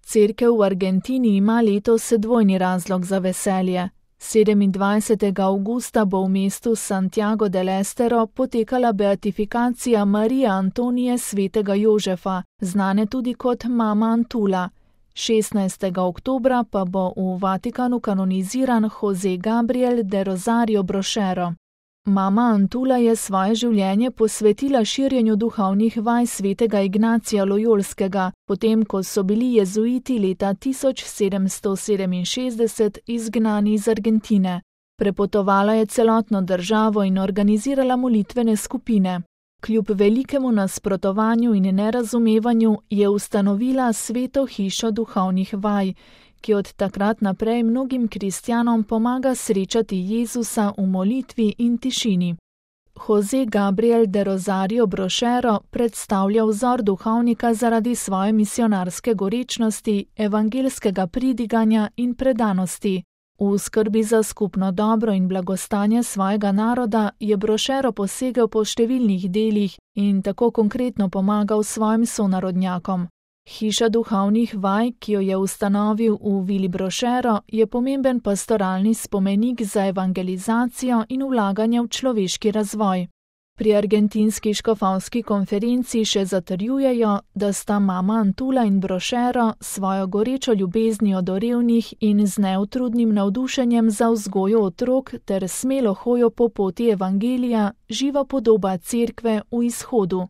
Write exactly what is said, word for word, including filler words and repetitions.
Cerkev v Argentini ima letos dvojni razlog za veselje. sedemindvajsetega avgusta bo v mestu Santiago del Estero potekala beatifikacija Marije Antonije svetega Jožefa, znane tudi kot Mama Antula. šestnajstega oktobra pa bo v Vatikanu kanoniziran José Gabriel de Rosario Brochero. Mama Antula je svoje življenje posvetila širjenju duhovnih vaj svetega Ignacija Lojolskega, potem ko so bili jezuiti leta tisoč sedemsto sedeminšestdeset izgnani iz Argentine. Prepotovala je celotno državo in organizirala molitvene skupine. Kljub velikemu nasprotovanju in nerazumevanju je ustanovila Sveto hišo duhovnih vaj, ki od takrat naprej mnogim kristjanom pomaga srečati Jezusa v molitvi in tišini. José Gabriel de Rosario Brochero predstavlja vzor duhovnika zaradi svoje misionarske gorečnosti, evangelskega pridiganja in predanosti. V skrbi za skupno dobro in blagostanje svojega naroda je Brochero posegel po številnih delih in tako konkretno pomagal svojim sonarodnjakom. Hiša duhovnih vaj, ki jo je ustanovil v vili Brochero, je pomemben pastoralni spomenik za evangelizacijo in vlaganje v človeški razvoj. Pri argentinski škofovski konferenci še zatrjujejo, da sta Mama Antula in Brochero svojo gorečo ljubeznijo do revnih in z neutrudnim navdušenjem za vzgojo otrok ter smelo hojo po poti evangelija živa podoba cerkve v izhodu.